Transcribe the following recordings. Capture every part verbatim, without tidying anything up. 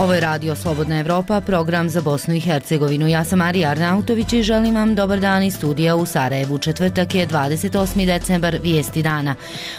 Ovo je Radio Slobodna Evropa, program za Bosnu i Hercegovinu. Ja sam Marija Arnautović i želim vam dobar dan iz studija u Sarajevu. Četvrtak je dvadeset osmi decembar, vijesti dana.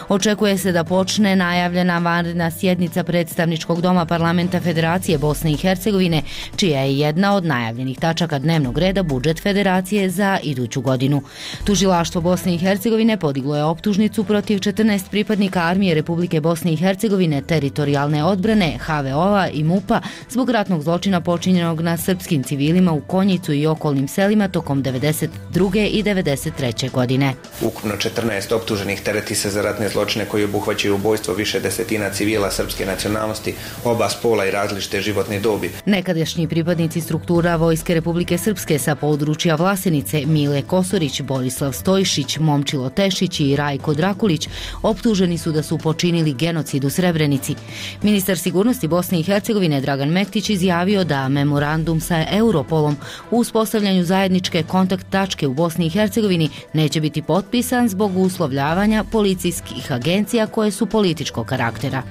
Očekuje se da počne najavljena vanredna sjednica predstavničkog doma Parlamenta Federacije Bosne i Hercegovine, čija je jedna od najavljenih tačaka dnevnog reda budžet Federacije za iduću godinu. Tužilaštvo Bosne i Hercegovine podiglo je optužnicu protiv četrnaest pripadnika Armije Republike Bosne i Hercegovine, teritorijalne odbrane, ha ve o-a i mupa zbog ratnog zločina počinjenog na srpskim civilima u Konjicu i okolnim selima tokom devedeset druge i devedeset treće godine. Ukupno četrnaest optuženih tereti se za ratne zločine koji obuhvaćaju ubojstvo više desetina civila srpske nacionalnosti, oba spola i različite životne dobi. Nekadašnji pripadnici struktura Vojske Republike Srpske sa područja Vlasenice, Mile Kosorić, Borislav Stojšić, Momčilo Tešić i Rajko Drakulić optuženi su da su počinili genocid u Srebrenici. Ministar sigurnosti Bosne i Hercegovine Dragan Mektić izjavio da memorandum sa Europolom u uspostavljanju zajedničke kontakt tačke u Bosni i Hercegovini neće biti potpisan zbog uslovljavanja policijskih agencija koje su političkog karaktera.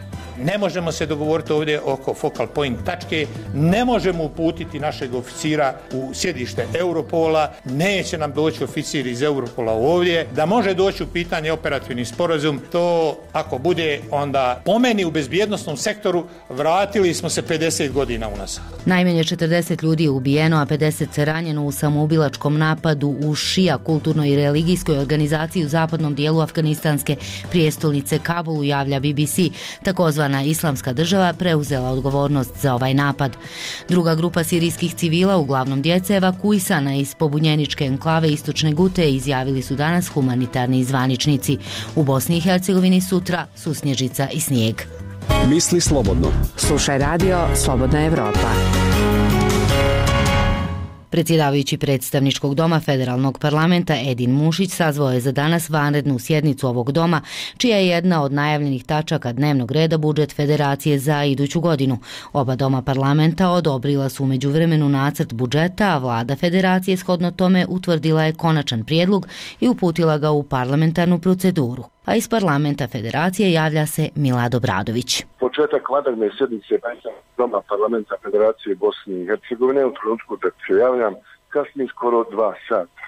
Ne možemo se dogovoriti ovdje oko focal point tačke, ne možemo uputiti našeg oficira u sjedište Europola, neće nam doći oficir iz Europola ovdje, da može doći u pitanje operativni sporazum, to ako bude onda po meni u bezbjednosnom sektoru vratili smo se pedeset godina unazad. Najmanje četrdeset ljudi je ubijeno, a pedeset se ranjeno u samoubilačkom napadu u šija kulturnoj i religijskoj organizaciji u zapadnom dijelu afganistanske prijestolnice Kabulu, javlja B B C. Takozvana Islamska država preuzela odgovornost za ovaj napad. Druga grupa sirijskih civila, uglavnom djece, evakuisana iz pobunjeničke enklave Istočne Gute, izjavili su danas humanitarni zvaničnici. U Bosni i Hercegovini sutra su snježica i snijeg. Misli slobodno. Slušaj Radio Slobodna Evropa. Predsjedavajući predstavničkog doma Federalnog parlamenta Edin Mušić sazvao je za danas vanrednu sjednicu ovog doma, čija je jedna od najavljenih tačaka dnevnog reda budžet Federacije za iduću godinu. Oba doma parlamenta odobrila su u međuvremenu nacrt budžeta, a vlada Federacije shodno tome utvrdila je konačan prijedlog i uputila ga u parlamentarnu proceduru. A iz parlamenta Federacije javlja se Milad Obradović. Početak vanredne sjednice doma parlamenta Federacije Bosne i Hercegovine u trenutku da se javljam kasni skoro dva sata.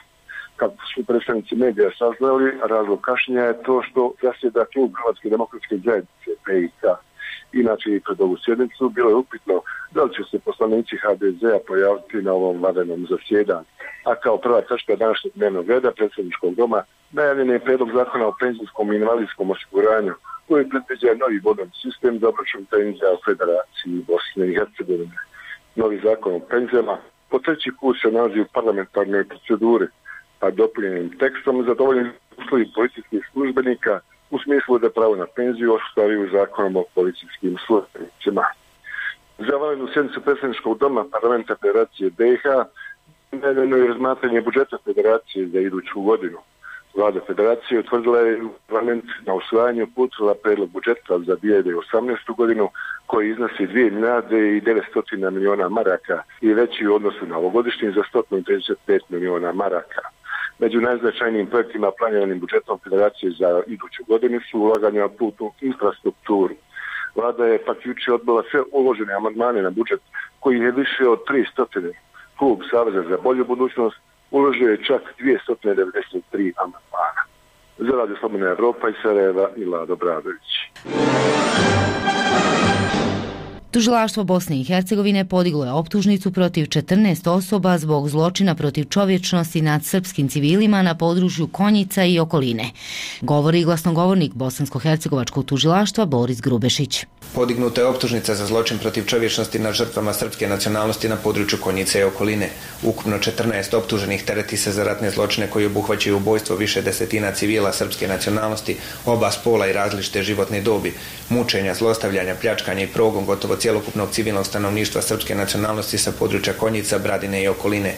Kako su predstavnici medija saznali, razlog kašnjenja je to što zasjeda klub Hrvatske demokratske zajednice P I K. Inače i pred ovu sjednicu bilo je upitno da li će se poslanici ha de zea pojaviti na ovom vanrednom zasjedanju. A kao prva tačka današnjeg dnevnog reda predsjedničkog doma najavljen je prijedlog zakona o penzijskom i invalidskom osiguranju koji predviđa novi bodovni sistem za obračun penzija u Federaciji Bosne i Hercegovine. Novi zakon o penzijama po treći put se nalazi u parlamentarnoj proceduri, a dopunjenim tekstom zadovoljen uslovi policijskih službenika u smislu da pravo na penziju ostvaruju zakonom o policijskim službenicima. Za vanrednu sjednicu predsjedničkog doma parlamenta Federacije B i H najavljeno je razmatranje budžeta Federacije za iduću godinu. Vlada Federacije utvrdila je u parlament na usvajanju uputila prijedlog budžeta za dvije hiljade osamnaestu godinu koji iznosi dvije milijarde i devetsto milijuna maraka i veći u odnosu na ovogodišnji za sto trideset pet milijuna maraka. Među najznačajnijim projektima planiranim budžetom Federacije za iduću godinu su ulaganja u putnu infrastrukturu. Vlada je pak jučer odbila sve uložene amandmane na budžet koji je više od tristo. Klub Saveza za bolju budućnost uložio je čak dvjesto devedeset tri amandmana. Za Radio Slobodna Evropa iz Sarajeva Milad Obradović. Tužilaštvo Bosne i Hercegovine podiglo je optužnicu protiv četrnaest osoba zbog zločina protiv čovječnosti nad srpskim civilima na području Konjica i okoline. Govori glasnogovornik bosansko-hercegovačkog tužilaštva Boris Grubešić. Podignuta je optužnica za zločin protiv čovječnosti nad žrtvama srpske nacionalnosti na području Konjica i okoline. Ukupno četrnaest optuženih tereti se za ratne zločine koji obuhvaćaju ubojstvo više desetina civila srpske nacionalnosti, oba spola i različite životne dobi, mučenja, zlostavljanja, pljačkanja i progon gotovo cjelokupnog civilnog stanovništva srpske nacionalnosti sa područja Konjica, Bradine i okoline.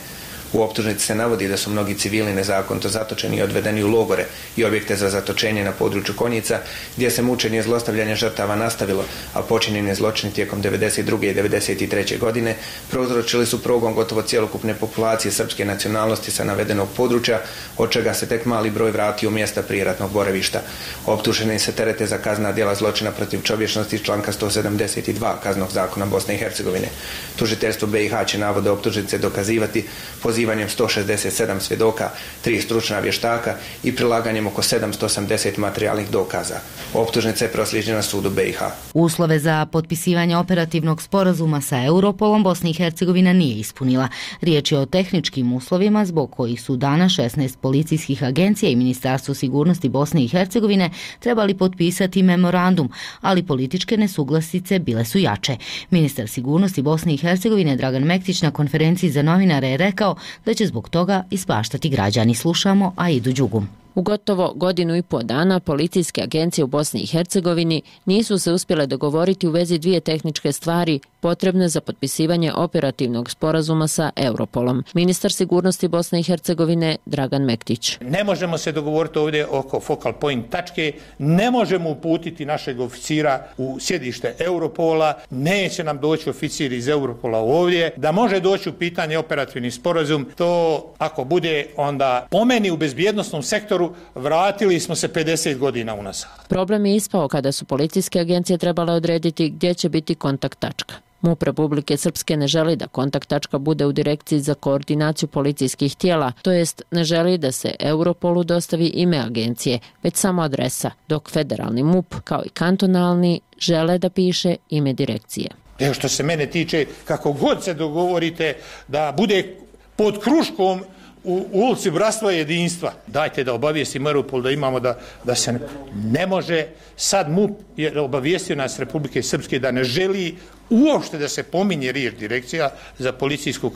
U optužnici se navodi da su mnogi civili nezakonito zatočeni i odvedeni u logore i objekte za zatočenje na području Konjica, gdje se mučenje i zlostavljanje žrtava nastavilo, a počinjeni zločini tijekom devedeset druge i devedeset treće godine prouzročili su progon gotovo cjelokupne populacije srpske nacionalnosti sa navedenog područja, od čega se tek mali broj vratio u mjesta prijeratnog boravišta. Optuženi se terete za kaznena djela zločina protiv čovječnosti iz članka sto sedamdeset dva Kaznenog zakona Bosne i Hercegovine. Tužiteljstvo B i H će navode optužnice dokazivati pozivanjem sto šezdeset sedam svjedoka, tri stručna vještaka i prilaganjem oko sedamsto osamdeset materijalnih dokaza. Optužnica je proslijeđena sudu B i H. Uslove za potpisivanje operativnog sporazuma sa Europolom Bosna i Hercegovina nije ispunila. Riječ je o tehničkim uslovima zbog kojih su danas šesnaest policijskih agencija i Ministarstvo sigurnosti Bosne i Hercegovine trebali potpisati memorandum, ali političke nesuglasice bile su jače. Ministar sigurnosti Bosne i Hercegovine Dragan Mektić na konferenciji za novinare je rekao da će zbog toga ispaštati građani. Slušamo Aidu Đugum. U gotovo godinu i po dana policijske agencije u Bosni i Hercegovini nisu se uspjele dogovoriti u vezi dvije tehničke stvari potrebne za potpisivanje operativnog sporazuma sa Europolom. Ministar sigurnosti Bosne i Hercegovine Dragan Mektić. Ne možemo se dogovoriti ovdje oko focal point tačke, ne možemo uputiti našeg oficira u sjedište Europola, neće nam doći oficir iz Europola ovdje, da može doći u pitanje operativni sporazum, to ako bude onda po meni u bezbjednosnom sektoru vratili smo se pedeset godina unazad. Problem je ispao kada su policijske agencije trebale odrediti gdje će biti kontakt tačka. MUP Republike Srpske ne želi da kontakt tačka bude u Direkciji za koordinaciju policijskih tijela, to jest ne želi da se Europolu dostavi ime agencije, već samo adresa, dok federalni MUP kao i kantonalni žele da piše ime direkcije. Evo što se mene tiče, kako god se dogovorite da bude pod kruškom u ulici Bratstva i jedinstva, dajte da obavijestimo Europol da imamo da, da se ne, ne može. Sad MUP je obavijestio nas Republike Srpske da ne želi uopšte da se pominje riječ Direkcija za policijsku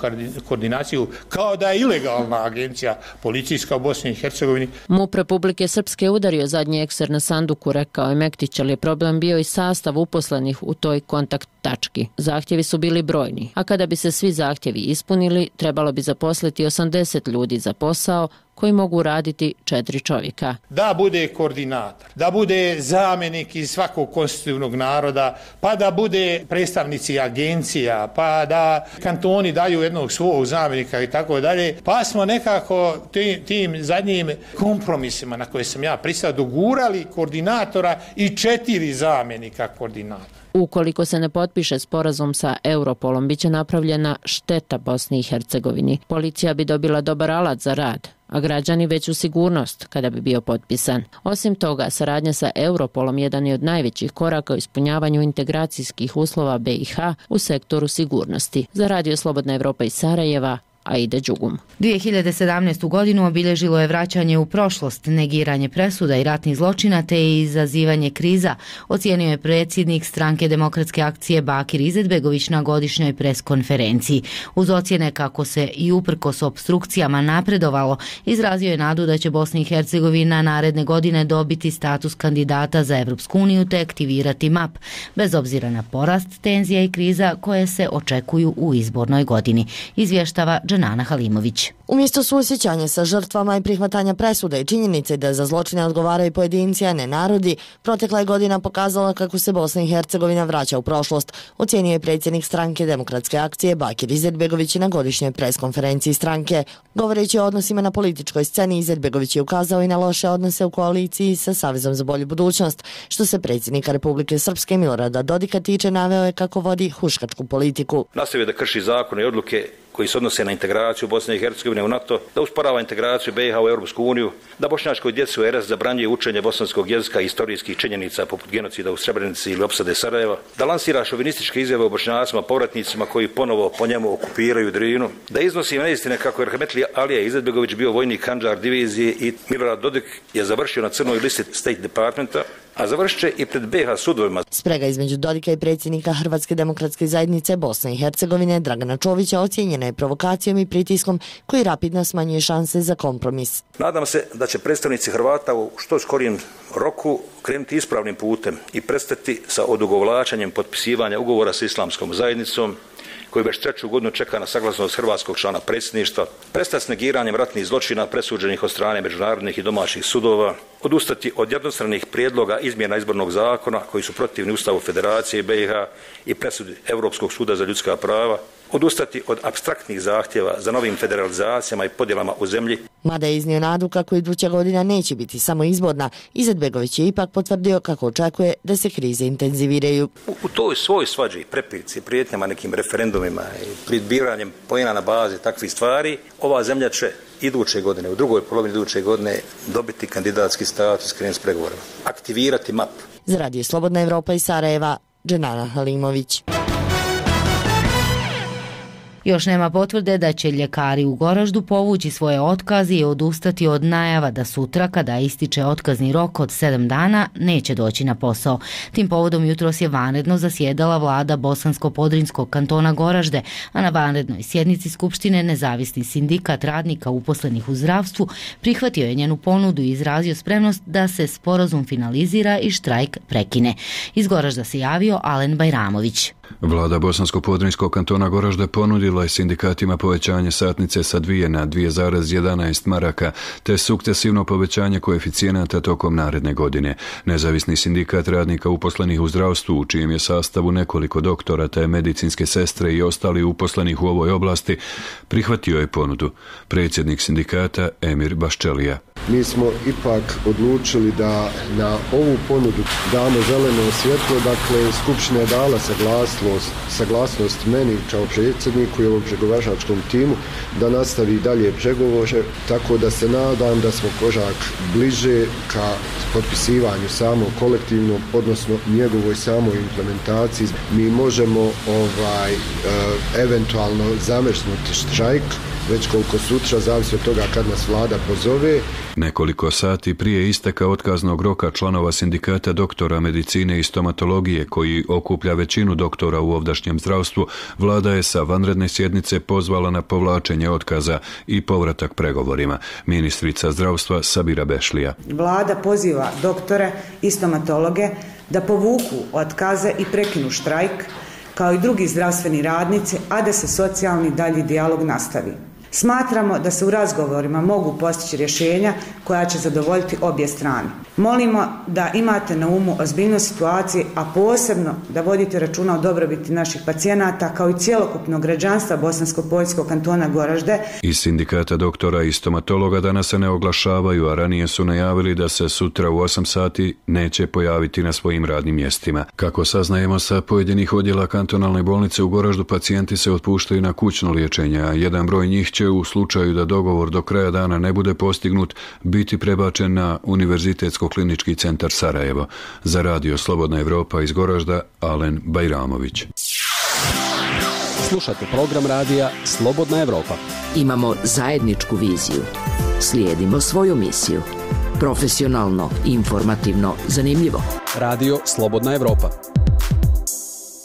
koordinaciju, kao da je ilegalna agencija policijska u Bosni i Hercegovini. MUP Republike Srpske udario zadnji ekser na sanduku, rekao je Mektić, ali je problem bio i sastav uposlenih u toj kontakt tački. Zahtjevi su bili brojni, a kada bi se svi zahtjevi ispunili, trebalo bi zaposliti osamdeset ljudi za posao koji mogu raditi četiri čovjeka. Da bude koordinator, da bude zamjenik iz svakog konstitutivnog naroda, pa da bude predstavnici agencija, pa da kantoni daju jednog svog zamjenika i tako dalje. Pa smo nekako tim, tim zadnjim kompromisima na koje sam ja pristao dogurali koordinatora i četiri zamjenika koordinatora. Ukoliko se ne potpiše sporazum sa Europolom, bit će napravljena šteta Bosni i Hercegovini. Policija bi dobila dobar alat za rad, a građani veću sigurnost kada bi bio potpisan. Osim toga, saradnja sa Europolom jedan je od najvećih koraka u ispunjavanju integracijskih uslova B i H u sektoru sigurnosti. Za Radio Slobodna Evropa iz Sarajeva, Aida Đugum. dvije hiljade sedamnaestu. godinu obilježilo je vraćanje u prošlost, negiranje presuda i ratnih zločina te izazivanje kriza, ocijenio je predsjednik Stranke demokratske akcije Bakir Izetbegović na godišnjoj preskonferenciji. Uz ocjene kako se i uprkos opstrukcijama napredovalo, izrazio je nadu da će Bosna i Hercegovina naredne godine dobiti status kandidata za Evropsku uniju te aktivirati M A P, bez obzira na porast tenzija i kriza koje se očekuju u izbornoj godini. Izvještava Nana Halimović. Umjesto suosjećanja sa žrtvama i prihvatanja presuda i činjenice da za zločine odgovaraju pojedinci, a ne narodi, protekla je godina pokazala kako se Bosna i Hercegovina vraća u prošlost, ocijenio je predsjednik Stranke demokratske akcije Bakir Izetbegović na godišnjoj preskonferenciji stranke. Govoreći o odnosima na političkoj sceni, Izetbegović je ukazao i na loše odnose u koaliciji sa Savezom za bolju budućnost. Što se predsjednika Republike Srpske Milorada Dodika tiče, naveo je kako vodi huškačku politiku. Nastavio da krši zakone i odluke koji se odnose na integraciju Bosne i Hercegovine u NATO, da usporava integraciju B i H u Europsku uniju, da bošnjačkoj djeci u R S zabranjuje učenje bosanskog jezika i historijskih činjenica poput genocida u Srebrenici ili opsade Sarajeva, da lansira šovinističke izjave o Bošnjacima, povratnicima koji ponovo po njemu okupiraju Drinu, da iznosi neistine kako je Rahmetli Alija Izetbegović bio vojnik Handžar divizije i Milorad Dodik je završio na crnoj listi State Departmenta, a završit će i pred B i H sudovima. Sprega između Dodika i predsjednika Hrvatske demokratske zajednice Bosne i Hercegovine Dragana Čovića ocijenjena je provokacijom i pritiskom koji rapidno smanjuje šanse za kompromis. Nadam se da će predstavnici Hrvata u što skorijem roku krenuti ispravnim putem i prestati sa odugovlačenjem potpisivanja ugovora s islamskom zajednicom koji već treću godinu čeka na saglasnost hrvatskog člana predsjedništva, prestati s negiranjem ratnih zločina presuđenih od strane međunarodnih i domaćih sudova, odustati od jednostranih prijedloga izmjena izbornog zakona koji su protivni Ustavu Federacije B i H i presudi Europskog suda za ljudska prava, odustati od apstraktnih zahtjeva za novim federalizacijama i podjelama u zemlji. Mada je iznio nadu kako iduća godina neće biti samo izborna, Izetbegović je ipak potvrdio kako očekuje da se krize intenziviraju. U, u toj svoj svađi, prepirci, prijetnjama nekim referendumima i pribiranjem pojena na bazi takvih stvari, ova zemlja će iduće godine, u drugoj polovini iduće godine dobiti kandidatski status, krenuti s pregovorima, aktivirati map. Za Radio Slobodna Evropa iz Sarajeva, Dženana Halimović. Još nema potvrde da će ljekari u Goraždu povući svoje otkaze i odustati od najava da sutra, kada ističe otkazni rok od sedam dana, neće doći na posao. Tim povodom jutros je vanredno zasjedala vlada Bosansko-Podrinjskog kantona Goražde, a na vanrednoj sjednici Skupštine nezavisni sindikat radnika uposlenih u zdravstvu prihvatio je njenu ponudu i izrazio spremnost da se sporazum finalizira i štrajk prekine. Iz Goražda se javio Alen Bajramović. Vlada Bosansko-Podrinjskog kantona Goražde ponudila je sindikatima povećanje satnice sa dvije na dvije zarez jedanaest maraka, te sukcesivno povećanje koeficijenata tokom naredne godine. Nezavisni sindikat radnika uposlenih u zdravstvu, u čijem je sastavu nekoliko doktora te medicinske sestre i ostali uposlenih u ovoj oblasti, prihvatio je ponudu. Predsjednik sindikata Emir Baščelija. Mi smo ipak odlučili da na ovu ponudu damo zeleno svjetlo, dakle Skupština je dala saglasnost, saglasnost meni kao predsjedniku i ovog pregovaračkom timu da nastavi dalje pregovore, tako da se nadam da smo korak bliže ka potpisivanju samog kolektivnog, odnosno njegovoj samoj implementaciji. Mi možemo ovaj, e, eventualno zamrznuti štrajk, već koliko sutra, zavisi od toga kad nas vlada pozove. Nekoliko sati prije isteka otkaznog roka članova sindikata doktora medicine i stomatologije, koji okuplja većinu doktora u ovdašnjem zdravstvu, vlada je sa vanredne sjednice pozvala na povlačenje otkaza i povratak pregovorima. Ministrica zdravstva Sabira Bešlija. Vlada poziva doktore i stomatologe da povuku otkaze i prekinu štrajk, kao i drugi zdravstveni radnici, a da se socijalni dalji dijalog nastavi. Smatramo da se u razgovorima mogu postići rješenja koja će zadovoljiti obje strane. Molimo da imate na umu ozbiljnost situacije, a posebno da vodite računa o dobrobiti naših pacijenata kao i cjelokupnog građanstva Bosansko-Podrinjskog kantona Goražde. Iz sindikata doktora i stomatologa danas se ne oglašavaju, a ranije su najavili da se sutra u osam sati neće pojaviti na svojim radnim mjestima. Kako saznajemo sa pojedinih odjela kantonalne bolnice u Goraždu, pacijenti se otpuštaju na kućno liječenje, a jedan broj njih će u slučaju da dogovor do kraja dana ne bude postignut biti prebačen na Univerzitetsko-klinički centar Sarajevo. Za Radio Slobodna Evropa iz Goražda, Alen Bajramović. Slušate program radija Slobodna Evropa. Imamo zajedničku viziju. Slijedimo svoju misiju. Profesionalno, informativno, zanimljivo. Radio Slobodna Evropa.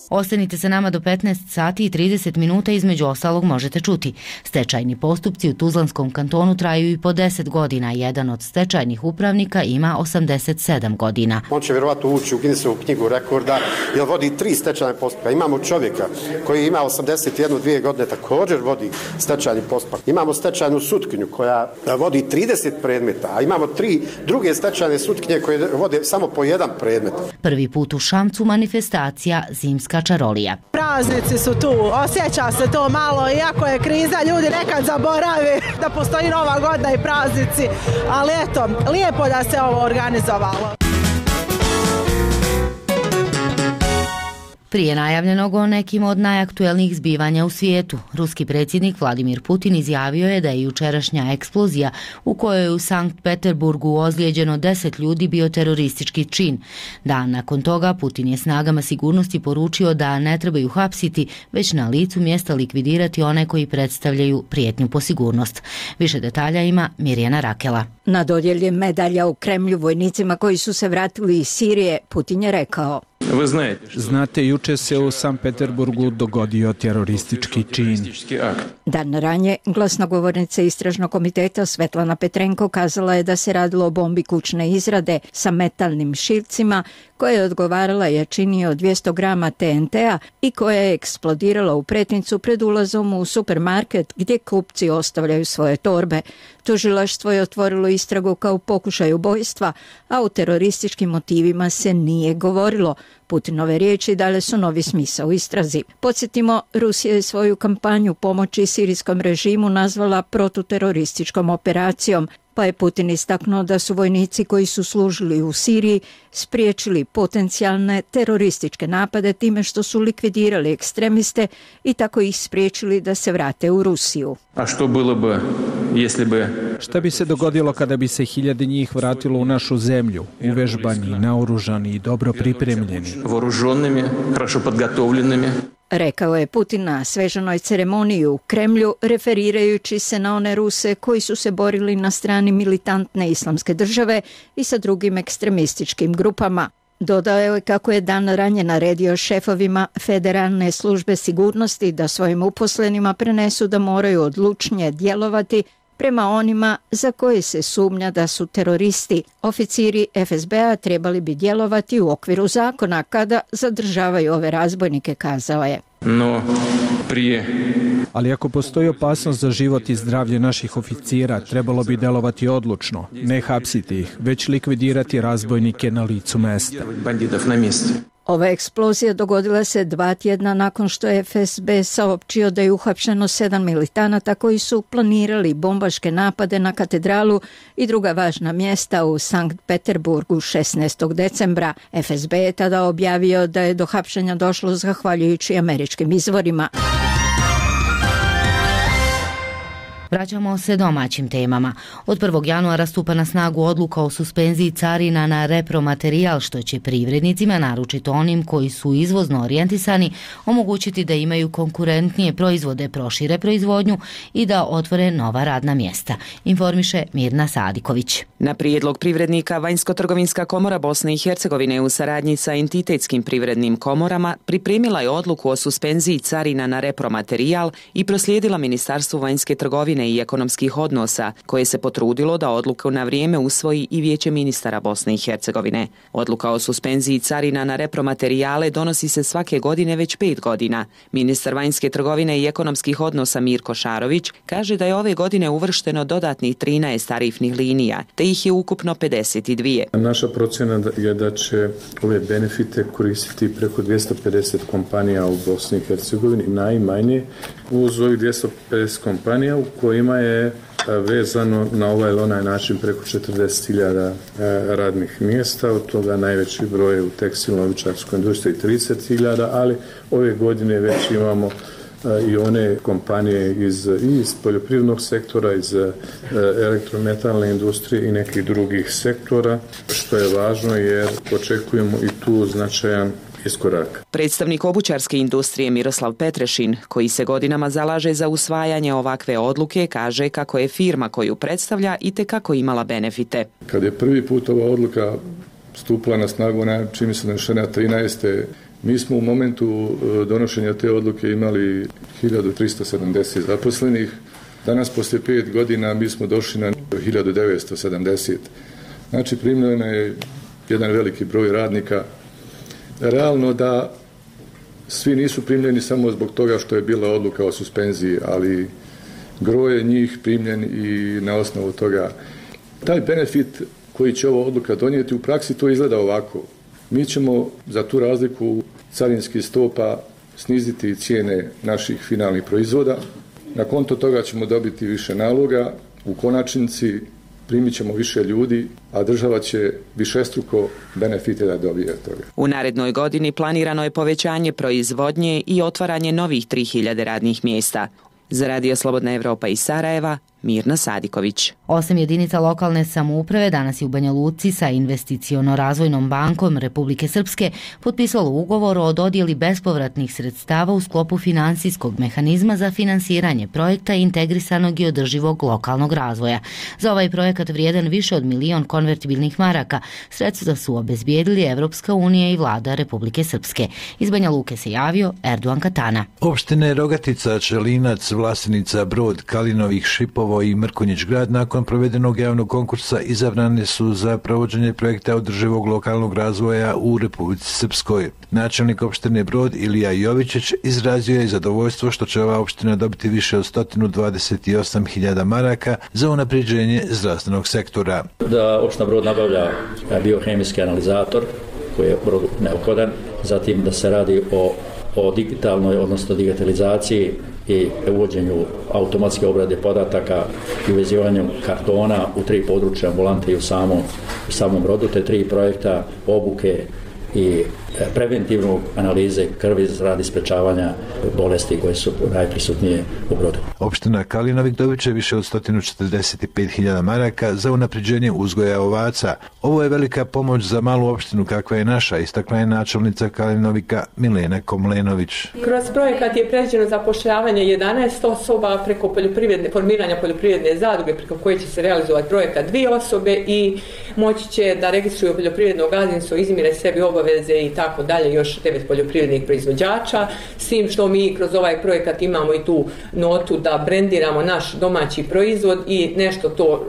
Ostanite sa nama do petnaest sati i trideset minuta, između ostalog možete čuti. Stečajni postupci u Tuzlanskom kantonu traju i po deset godina. Jedan od stečajnih upravnika ima osamdeset sedam godina. On će vjerovatno ući u Guinnessovu knjigu rekorda jer vodi tri stečajne postupka. Imamo čovjeka koji ima osamdeset jednu dvije godine, također vodi stečajni postupak. Imamo stečajnu sutkinju koja vodi trideset predmeta, a imamo tri druge stečajne sutkinje koje vode samo po jedan predmet. Prvi put u Šamcu manifestacija Zimska čarolija. Praznici su tu, osjeća se to malo, iako je kriza, ljudi nekad zaborave da postoji Nova godina i praznici, ali eto, lijepo da se ovo organizovalo. Prije najavljenog o nekim od najaktuelnijih zbivanja u svijetu, ruski predsjednik Vladimir Putin izjavio je da je jučerašnja eksplozija u kojoj je u Sankt Peterburgu ozlijeđeno deset ljudi bio teroristički čin. Dan nakon toga Putin je snagama sigurnosti poručio da ne trebaju hapsiti, već na licu mjesta likvidirati one koji predstavljaju prijetnju po sigurnost. Više detalja ima Mirjana Rakela. Na dodjeli medalja u Kremlju vojnicima koji su se vratili iz Sirije, Putin je rekao: Znate, juče se u Sankt Peterburgu dogodio teroristički čin. Dan ranije glasnogovornica Istražnog komiteta Svetlana Petrenko kazala je da se radilo o bombi kućne izrade sa metalnim šivcima koja je odgovarala jačini od dvjesto grama T N T-a i koja je eksplodirala u pretincu pred ulazom u supermarket gdje kupci ostavljaju svoje torbe. Tužilaštvo je otvorilo istragu kao pokušaj ubojstva, a o terorističkim motivima se nije govorilo. Putinove riječi dale su novi smisao u istrazi. Podsjetimo, Rusija je svoju kampanju pomoći sirijskom režimu nazvala protuterorističkom operacijom, pa je Putin istaknuo da su vojnici koji su služili u Siriji spriječili potencijalne terorističke napade time što su likvidirali ekstremiste i tako ih spriječili da se vrate u Rusiju. A što bilo bi, jesli bi... Šta bi se dogodilo kada bi se hiljade njih vratilo u našu zemlju, uvežbani, naoružani i dobro pripremljeni? Voruženimi, хорошо подготовленными. Rekao je Putin na svečanoj ceremoniji u Kremlju, referirajući se na one Ruse koji su se borili na strani militantne islamske države i sa drugim ekstremističkim grupama. Dodao je kako je dan ranije naredio šefovima Federalne službe sigurnosti da svojim uposlenima prenesu da moraju odlučnije djelovati prema onima za koje se sumnja da su teroristi. Oficiri F S B-a trebali bi djelovati u okviru zakona kada zadržavaju ove razbojnike, kazao je. No, prije... Ali ako postoji opasnost za život i zdravlje naših oficira, trebalo bi delovati odlučno, ne hapsiti ih, već likvidirati razbojnike na licu mesta. Ova eksplozija dogodila se dva tjedna nakon što je F S B saopćio da je uhapšeno sedam militanata koji su planirali bombaške napade na katedralu i druga važna mjesta u Sankt Peterburgu šesnaestog decembra. F S B je tada objavio da je do hapšenja došlo zahvaljujući američkim izvorima. Vraćamo se domaćim temama. Od prvog januara stupa na snagu odluka o suspenziji carina na repromaterijal, što će privrednicima, naročito onim koji su izvozno orijentisani, omogućiti da imaju konkurentnije proizvode, prošire proizvodnju i da otvore nova radna mjesta, informiše Mirna Sadiković. Na prijedlog privrednika, Vanjsko-trgovinska komora Bosne i Hercegovine u saradnji sa entitetskim privrednim komorama pripremila je odluku o suspenziji carina na repromaterijal i proslijedila Ministarstvu vanjske trgovine i ekonomskih odnosa, koje se potrudilo da odluku na vrijeme usvoji i Vijeće ministara Bosne i Hercegovine. Odluka o suspenziji carina na repromaterijale donosi se svake godine već pet godina. Ministar vanjske trgovine i ekonomskih odnosa Mirko Šarović kaže da je ove godine uvršteno dodatnih trinaest tarifnih linija, te ih je ukupno pedeset dvije. Naša procjena je da će ove benefite koristiti preko dvjesto pedeset kompanija u Bosni i Hercegovini, najmanje uz ovih dvjesto pedeset kompanija u kojima je vezano na ovaj ili onaj način preko četrdeset hiljada radnih mjesta, od toga najveći broj u tekstilno-obućarskoj industriji trideset hiljada, ali ove godine već imamo i one kompanije iz, iz poljoprivrednog sektora, iz elektrometalne industrije i nekih drugih sektora, što je važno jer očekujemo i tu značajan iskorak. Predstavnik obućarske industrije Miroslav Petrešin, koji se godinama zalaže za usvajanje ovakve odluke, kaže kako je firma koju predstavlja itekako imala benefite. Kad je prvi put ova odluka stupila na snagu, na čini se donošenja trinaeste. Mi smo u momentu donošenja te odluke imali hiljadu tristo sedamdeset zaposlenih. Danas, poslije pet godina, mi smo došli na hiljadu devetsto sedamdeset. Znači, primljeno je jedan veliki broj radnika. Realno da svi nisu primljeni samo zbog toga što je bila odluka o suspenziji, ali gro je njih primljen i na osnovu toga. Taj benefit koji će ova odluka donijeti u praksi, to izgleda ovako. Mi ćemo za tu razliku carinskih stopa sniziti cijene naših finalnih proizvoda. Na konto toga ćemo dobiti više naloga. U konačnici primit ćemo više ljudi, a država će višestruko benefite da dobije od toga. U narednoj godini planirano je povećanje proizvodnje i otvaranje novih tri hiljade radnih mjesta. Za Radio Slobodna Evropa iz Sarajeva, Mirna Sadiković. Osam jedinica lokalne samouprave danas je u Banja Luci sa Investiciono-razvojnom bankom Republike Srpske potpisalo ugovor o dodjeli bespovratnih sredstava u sklopu finansijskog mehanizma za finansiranje projekta integrisanog i održivog lokalnog razvoja. Za ovaj projekat vrijedan više od milion konvertibilnih maraka sredstva su obezbijedili Evropska unija i vlada Republike Srpske. Iz Banja Luke se javio Erduan Katana. Opštine Rogatica, Čelinac, Vlasenica, Brod, Kalinovih, Šipovo i Mrkonjić grad nakon Nakon provedenog javnog konkursa izabrane su za provođenje projekta održivog lokalnog razvoja u Republici Srpskoj. Načelnik opštine Brod Ilija Jovičić izrazio je zadovoljstvo što će ova opština dobiti više od sto dvadeset osam hiljada maraka za unapređenje zdravstvenog sektora. Da opština Brod nabavlja biohemijski analizator koji je Brodu neophodan, zatim da se radi o, o digitalnoj, odnosno digitalizaciji i uvođenju automatske obrade podataka i uvezivanju kartona u tri područja ambulante i u samom, u samom Brodu, te tri projekta obuke i preventivnu analize krvi radi sprečavanja bolesti koje su najprisutnije u Brodu. Opština Kalinovik dobit će više od sto četrdeset pet hiljada maraka za unapređenje uzgoja ovaca. Ovo je velika pomoć za malu opštinu kakva je naša, istakla je načelnica Kalinovika Milena Komlenović. Kroz projekat je predviđeno zapošljavanje jedanaest osoba preko poljoprivredne, formiranja poljoprivredne zadruge preko koje će se realizovati projekat dvije osobe i moći će da registruju poljoprivredno gazdinstvo, izmire sebi obaveze i tako dalje, još devet poljoprivrednih proizvođača, s tim što mi kroz ovaj projekat imamo i tu notu da brendiramo naš domaći proizvod i nešto to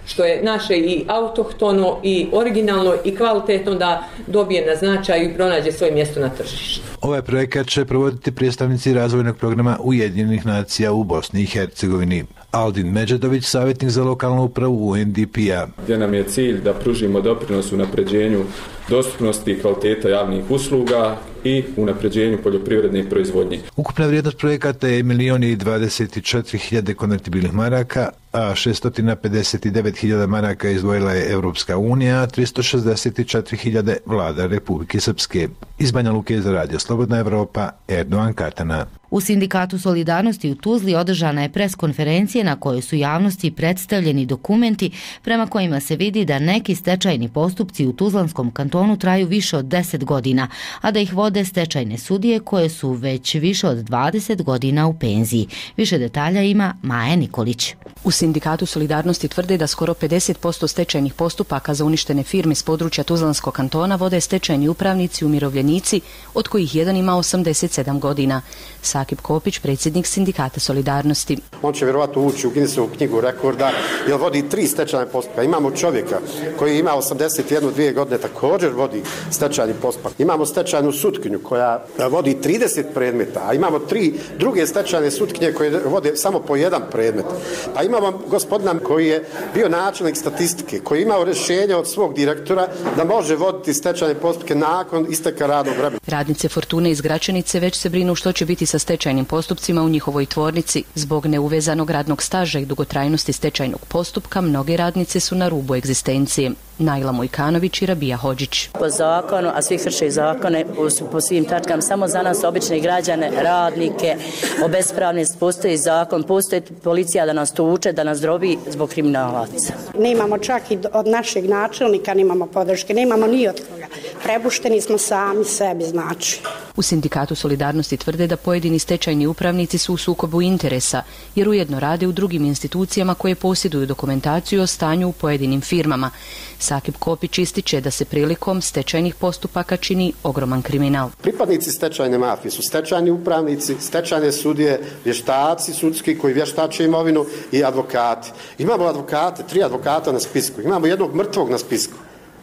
što je naše i autohtono i originalno i kvalitetno da dobije na značaju i pronađe svoje mjesto na tržištu. Ovaj projekat će provoditi predstavnici razvojnog programa Ujedinjenih nacija u Bosni i Hercegovini. Aldin Međedović, savjetnik za lokalnu upravu U N D P-a. Gdje nam je cilj da pružimo doprinos unapređenju dostupnosti i kvaliteta javnih usluga i unapređenju poljoprivredne proizvodnje. Ukupna vrijednost projekata je milion i dvadeset četiri hiljade konvertibilnih maraka, a šesto pedeset devet hiljada maraka izdvojila je Evropska unija, a tristo šezdeset četiri hiljade vlada Republike Srpske. Iz Banja Luke za Radio Slobodna Evropa, Erdogan Katana. U Sindikatu solidarnosti u Tuzli održana je preskonferencija na kojoj su javnosti predstavljeni dokumenti prema kojima se vidi da neki stečajni postupci u Tuzlanskom kantonu traju više od deset godina, a da ih vode stečajne sudije koje su već više od dvadeset godina u penziji. Više detalja ima Maja Nikolić. U Sindikatu solidarnosti tvrde da skoro pedeset posto stečajnih postupaka za uništene firme s područja Tuzlanskog kantona vode stečajni upravnici i umirovljenici, od kojih jedan ima osamdeset sedam godina. Sakip Kopić, predsjednik Sindikata solidarnosti. On će vjerovatno ući u Guinnessovu knjigu rekorda jer vodi tri stečajne postupka. Imamo čovjeka koji ima osamdeset jednu dvije godine, također vodi stečajni postupak. Imamo stečajnu sutkinju koja vodi trideset predmeta, a imamo tri druge stečajne sutkinje koje vode samo po jedan predmet. Pa imamo gospodina koji je bio načelnik statistike, koji je imao rješenje od svog direktora da može voditi stečajne postupke nakon isteka radnog vremena. Radnice Fortune iz Gračanice već se brinu što će biti sa stečajnim postupcima u njihovoj tvornici. Zbog neuvezanog radnog staža i dugotrajnosti stečajnog postupka, mnoge radnice su na rubu egzistencije. Najla Mojkanović i Rabija Hodžić. Po zakonu, a svi krše zakone po svim tačkama, samo za nas obične građane, radnike, obespravnici, postoji zakon, postoji policija da nas tuče, da nas drobi zbog kriminalaca. Nemamo čak i od našeg načelnika, nemamo podrške, nemamo ni od koga. Prebušteni smo sami sebi, znači. U Sindikatu solidarnosti tvrde da pojedini stečajni upravnici su u sukobu interesa, jer ujedno rade u drugim institucijama koje posjeduju dokumentaciju o stanju u pojedinim firmama. Sakip Kopić ističe da se prilikom stečajnih postupaka čini ogroman kriminal. Pripadnici stečajne mafije su stečajni upravnici, stečajne sudije, vještaci sudski koji vještače imovinu i advokati. Imamo advokate, tri advokata na spisku, imamo jednog mrtvog na spisku.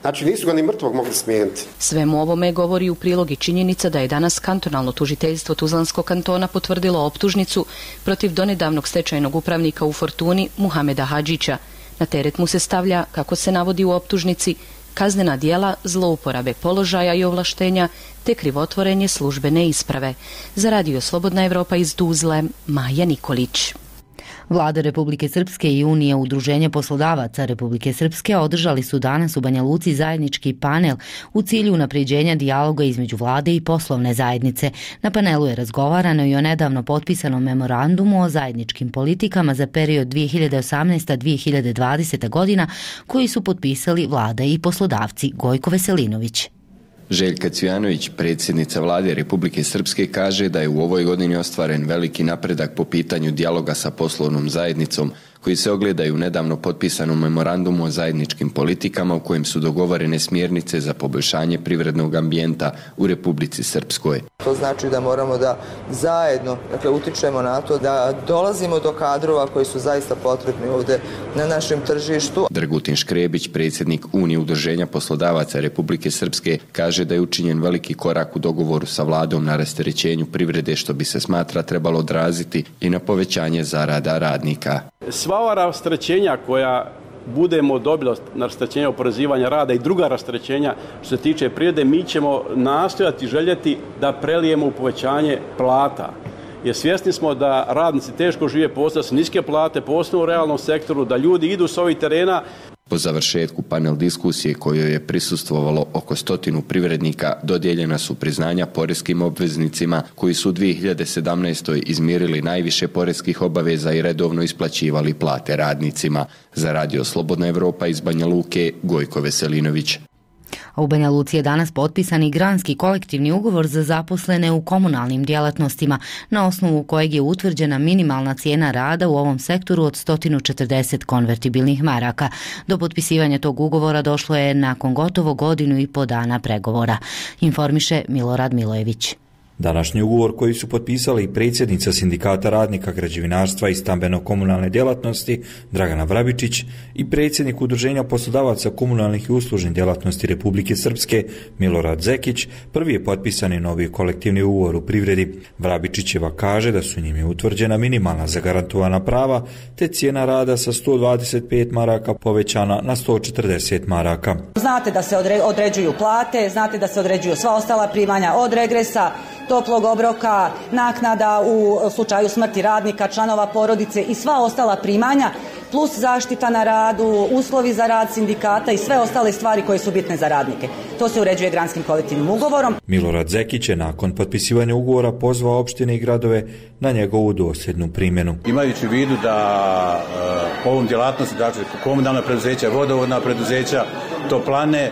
Znači nisu ga ni mrtvog mogli smijeniti. Svemu ovome govori u prilog i činjenica da je danas kantonalno tužiteljstvo Tuzlanskog kantona potvrdilo optužnicu protiv donedavnog stečajnog upravnika u Fortuni Muhameda Hadžića. Na teret mu se stavlja, kako se navodi u optužnici, kaznena djela zlouporabe položaja i ovlaštenja te krivotvorenje službene isprave. Za Radio Slobodna Evropa iz Tuzle, Maja Nikolić. Vlada Republike Srpske i Unija Udruženja poslodavaca Republike Srpske održali su danas u Banja Luci zajednički panel u cilju unapređenja dijaloga između vlade i poslovne zajednice. Na panelu je razgovarano i o nedavno potpisanom memorandumu o zajedničkim politikama za period dvije hiljade osamnaesta do dvije hiljade dvadesete godina koji su potpisali vlada i poslodavci. Gojko Veselinović. Željka Cvijanović, predsjednica vlade Republike Srpske, kaže da je u ovoj godini ostvaren veliki napredak po pitanju dijaloga sa poslovnom zajednicom koji se ogledaju u nedavno potpisanom memorandumu o zajedničkim politikama u kojem su dogovorene smjernice za poboljšanje privrednog ambijenta u Republici Srpskoj. To znači da moramo da zajedno, dakle, utičemo na to da dolazimo do kadrova koji su zaista potrebni ovdje na našem tržištu. Dragutin Škrebić, predsjednik Unije udruženja poslodavaca Republike Srpske, kaže da je učinjen veliki korak u dogovoru sa vladom na rasterećenju privrede, što bi se smatra trebalo odraziti i na povećanje zarada radnika. Sva ova rasterećenja koja budemo dobili na rasterećenje oporezivanja rada i druga rasterećenja što se tiče privrede, mi ćemo nastojati, željeti da prelijemo u povećanje plata. Jer svjesni smo da radnici teško žive, postoje se niske plate, posebno u realnom sektoru, da ljudi idu s ovih terena. Po završetku panel diskusije kojoj je prisustvovalo oko stotinu privrednika, dodijeljena su priznanja porezkim obveznicima koji su u dvije hiljade sedamnaestoj izmirili najviše porezkih obaveza i redovno isplaćivali plate radnicima. Za Radio Slobodna Evropa iz Banja Luke, Gojko Veselinović. A u Banja Luci je danas potpisan i granski kolektivni ugovor za zaposlene u komunalnim djelatnostima, na osnovu kojeg je utvrđena minimalna cijena rada u ovom sektoru od sto četrdeset konvertibilnih maraka. Do potpisivanja tog ugovora došlo je nakon gotovo godinu i po dana pregovora, informiše Milorad Milojević. Današnji ugovor koji su potpisali predsjednica Sindikata radnika građevinarstva i stambeno-komunalne djelatnosti Dragana Vrabičić i predsjednik Udruženja poslodavaca komunalnih i uslužnih djelatnosti Republike Srpske Milorad Zekić, prvi je potpisani novi kolektivni ugovor u privredi. Vrabičićeva kaže da su njime utvrđena minimalna zagarantovana prava te cijena rada sa sto dvadeset pet maraka povećana na sto četrdeset maraka. Znate da se određuju plate, znate da se određuju sva ostala primanja od regresa, toplog obroka, naknada u slučaju smrti radnika, članova porodice i sva ostala primanja, plus zaštita na radu, uslovi za rad sindikata i sve ostale stvari koje su bitne za radnike. To se uređuje granskim kolektivnim ugovorom. Milorad Zekić je nakon potpisivanja ugovora pozvao opštine i gradove na njegovu dosljednu primjenu. Imajući u vidu da uh, ovom djelatnosti, dakle komunalna preduzeća, vodovodna preduzeća, toplane,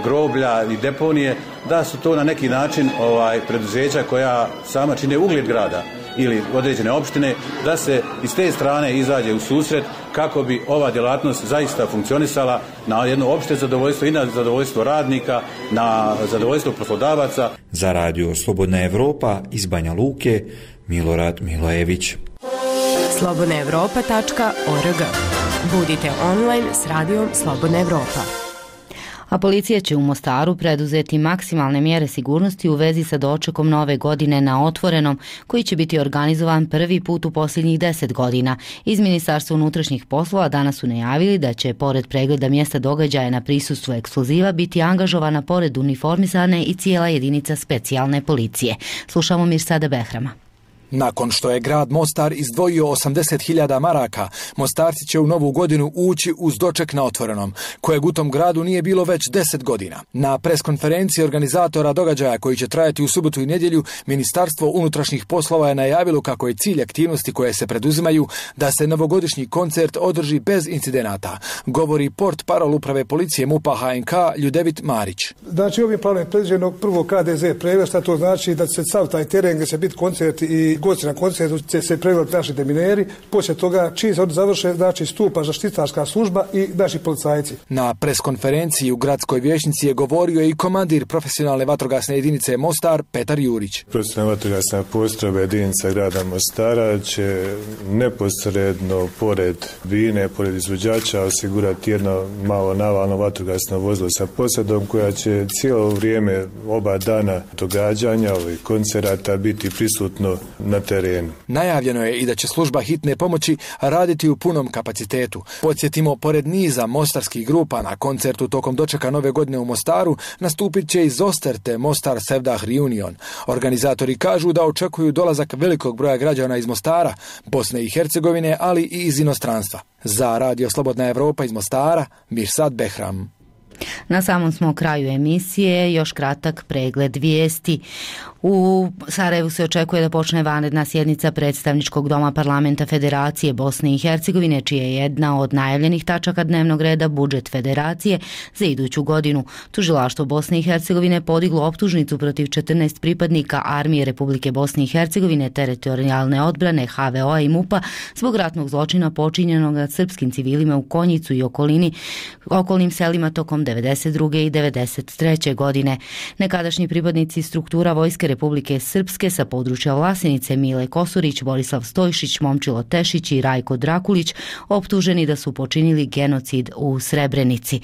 groblja i deponije, da su to na neki način ovaj preduzeća koja sama čine ugled grada ili određene opštine, da se iz te strane izađe u susret kako bi ova djelatnost zaista funkcionisala na jedno opšte zadovoljstvo i na zadovoljstvo radnika, na zadovoljstvo poslodavaca. Za Radio Slobodna Evropa iz Banja Luke, Milorad Milojević. slobodna evropa tačka org. Budite online s Radijom Slobodna Evropa. A policija će u Mostaru preduzeti maksimalne mjere sigurnosti u vezi sa dočekom nove godine na otvorenom, koji će biti organizovan prvi put u posljednjih deset godina. Iz Ministarstva unutrašnjih poslova danas su najavili da će, pored pregleda mjesta događaja na prisustvu ekskluziva, biti angažovana pored uniformisane i cijela jedinica specijalne policije. Slušamo Mirsada Behrama. Nakon što je grad Mostar izdvojio osamdeset hiljada maraka, Mostarci će u novu godinu ući uz doček na otvorenom, kojeg u tom gradu nije bilo već deset godina. Na preskonferenciji organizatora događaja koji će trajati u subotu i nedjelju, Ministarstvo unutrašnjih poslova je najavilo kako je cilj aktivnosti koje se preduzimaju da se novogodišnji koncert održi bez incidenata, govori port parol uprave policije MUP-a H N K Ljudevit Marić. Znači ovim planom je predviđeno prvo K D Z pregled, šta to znači da će sav taj teren gdje će biti koncert i gosti na koncertu će se pregledati naši demineri, poslije toga čim se oni završe, znači stupa zaštitarska služba i naši policajci. Na preskonferenciji u gradskoj vijećnici je govorio i komandir profesionalne vatrogasne jedinice Mostar Petar Jurić. Profesionalna vatrogasna postrojba jedinica grada Mostara će neposredno pored bine, pored izvođača osigurati jedno malo navalno vatrogasno vozilo sa posadom koja će cijelo vrijeme oba dana događanja ovih koncerata biti prisutno na terenu. Najavljeno je i da će služba hitne pomoći raditi u punom kapacitetu. Podsjetimo, pored niza mostarskih grupa na koncertu tokom dočeka nove godine u Mostaru nastupit će i Zosterte Mostar Sevdah Reunion. Organizatori kažu da očekuju dolazak velikog broja građana iz Mostara, Bosne i Hercegovine, ali i iz inostranstva. Za Radio Slobodna Evropa iz Mostara, Mirsad Behram. Na samom smo kraju emisije, još kratak pregled vijesti. U Sarajevu se očekuje da počne vanredna sjednica predstavničkog doma parlamenta Federacije Bosne i Hercegovine, čija je jedna od najavljenih tačaka dnevnog reda budžet Federacije za iduću godinu. Tužilaštvo Bosne i Hercegovine podiglo optužnicu protiv četrnaest pripadnika Armije Republike Bosne i Hercegovine, teritorijalne odbrane, H V O-a i MUP-a zbog ratnog zločina počinjenog nad srpskim civilima u Konjicu i okolini, okolnim selima tokom devedeset druge i devedeset treće godine. Nekadašnji pripadnici struktura Vojske Republike Srpske sa područja Vlasenice, Mile Kosurić, Borislav Stojšić, Momčilo Tešić i Rajko Drakulić optuženi da su počinili genocid u Srebrenici.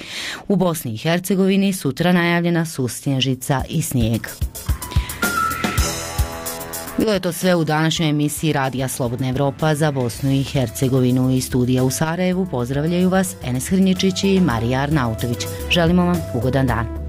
U Bosni i Hercegovini sutra najavljena su snježica i snijeg. Bilo je to sve u današnjoj emisiji Radija Slobodna Evropa za Bosnu i Hercegovinu. Iz studija u Sarajevu pozdravljaju vas Enes Hrnječić i Marija Arnautović. Želimo vam ugodan dan.